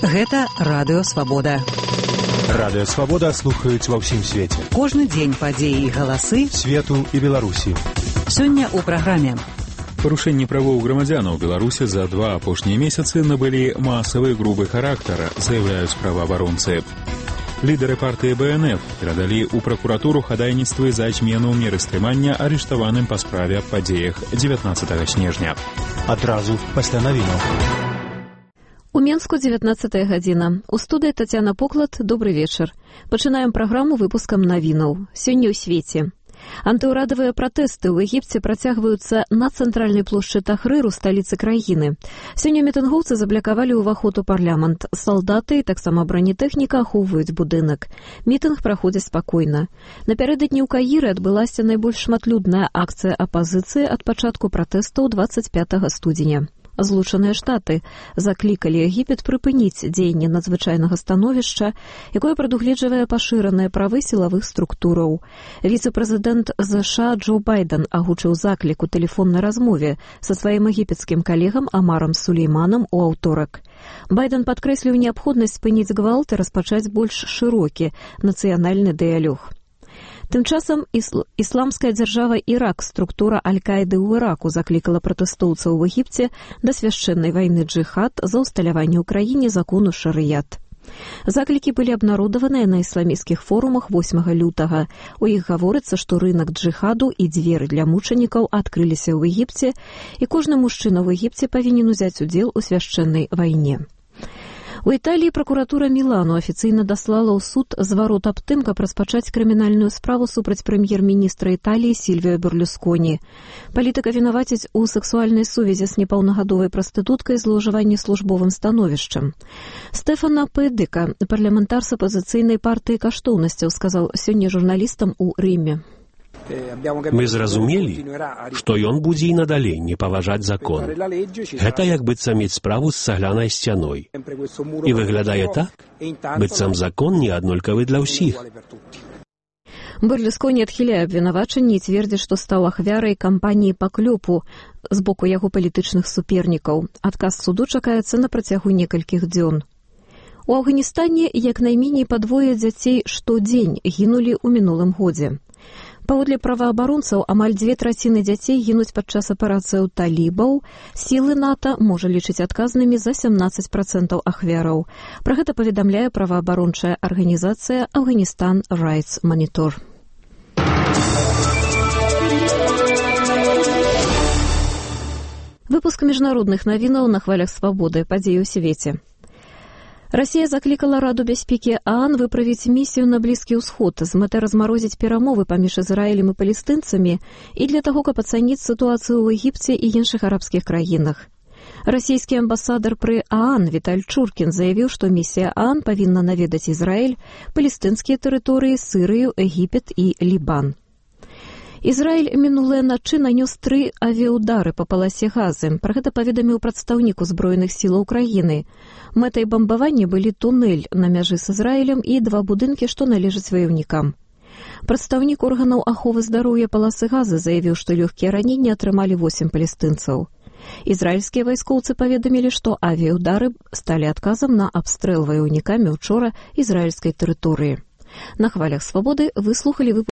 Гэта Радыё Свабода. Радыё Свабода слухаюць ва ўсім свеце. Кожны дзень падзеі і галасы свету і Беларусі. Сёння ў праграме. Парушэнні правоў грамадзянаў Беларусі за 2 апошнія месяцы набылі масавы грубы характар, заяўляюць праваабаронцы. Лідары партыі БНФ перадалі ў пракуратуру хадайніцтвы за змену меры стрымання арыштаваным па справе аб падзеях 19 снежня. Адразу пасля навінаў. У Менску 19 гадзіна. У студыі Тацяна Поклад. Добрый вечар. Пачынаем праграму выпускам навінаў. Сёння ў свеце. Антыўрадавыя пратэсты ў Егіпце працягваюцца на цэнтральнай плошчы Тахрыру, сталіцы краіны. Сёння мітынгоўцы заблакавалі ўваход у парламент. Салдаты і таксама бранітэхніка ахоўваюць будынак. Мітынг праходзіць спакойна. Напярэдадні ў Каіры адбылася найбольш шматлюдная акцыя апазіцыі ад пачатку пратэстаў 25 студзеня. Злучаныя Штаты заклікалі Егіпет прыпыніць дзеянне надзвычайнага становішча, якое прадугледжвае пашыраныя правы сілавых структураў. Віцэ-прэзідэнт ЗША Джо Байден агучыў заклік у тэлефоннай размове са сваім егіпецкім калегам Амарам Сулейманам у аўторак. Байден падкрэсліў неабходнасць спыніць гвалт і распачаць больш шырокі нацыянальны дыялог. Тым часам ісламская дзяржава Ірак, структура Аль-Каіды ў Іраку, заклікала пратэстоўцаў у Егіпце да свяшчэннай вайны джыхад за ўсталяванне ў краіне закону шарыят. Заклікі былі абнародаваныя на ісламісцкіх форумах 8 лютага. У іх гаворыцца, што рынак джыхаду і дзверы для мучанікаў адкрыліся ў Егіпце, і кожны мужчына ў Егіпце павінен узяць удзел у свяшчэннай вайне. У Італіі пракуратура Мілану афіцыйна даслала ў суд зварот аб тым, каб распачаць крымінальную справу супраць прэм'ер-міністра Італіі Сільвіо Берлусконі. Палітыка вінаваціць у сэксуальнай сувязі з непаўнагадовай прастытуткай злоўжыванні службовым становішчам. Стэфано Пэдыка, парламентар з апазіцыйнай партыі каштоўнасцяў, сказаў сёння журналістам у Рыме. Мы зразумелі, што ён будзе і надалей не паважаць закон. Гэта як быццам мець справу з цаглянай сцяной. І выглядае так, быццам закон не аднолькавы для ўсіх. Берлусконі адхіляе абвінавачанні і цвердзіць, што стаў ахвярай кампаніі паклёпу з боку яго палітычных супернікаў. Адказ суду чакаецца на працягу некалькіх дзён. У Афганістане як найменей падвое дзяцей штодзень гінулі ў минулым годзе. Паводле праваабаронцаў, амаль 2/3 дзяцей гінуць падчас аперацыяў талібаў. Сілы НАТО можа лічыць адказнымі за 17% ахвяраў. Пра гэта паведамляе праваабарончая арганізацыя Афганістан Rights Monitor. Выпуск міжнародных навінаў на хвалях свабоды. Падзеі ў свеце. Расія заклікала Раду бяспекі ААН выправіць місію на Блізкі ўсход з мэтай размарозіць перамовы паміж Ізраілем і палестынцамі і для таго, каб ацаніць сітуацыю ў Егіпце і іншых арабскіх краінах. Расійскі амбасадар пры ААН Віталь Чуркін заявіў, што місія ААН павінна наведаць Ізраіль, палестынскія тэрыторыі, Сырыю, Егіпет і Лібан. Ізраіль мінулыя ночы нанёс 3 авіаудары па паласе Газы. Пра гэта паведаміў прадстаўнік узброеных сілаў краіны. Мэтай бамбавання былі тунэль на мяжы з Ізраілем і 2 будынкі, што належаць ваёўнікам. Прадстаўнік органаў аховы здароўя паласы Газы заявіў, што лёгкія раненні атрымалі 8 палестынцаў. Ізраільскія вайскоўцы паведамілі, што авіаудары сталі адказам на абстрэл ваёўнікамі учора ізраільскай тэрыторыі. На хвалях свабоды вы слухалі выпуск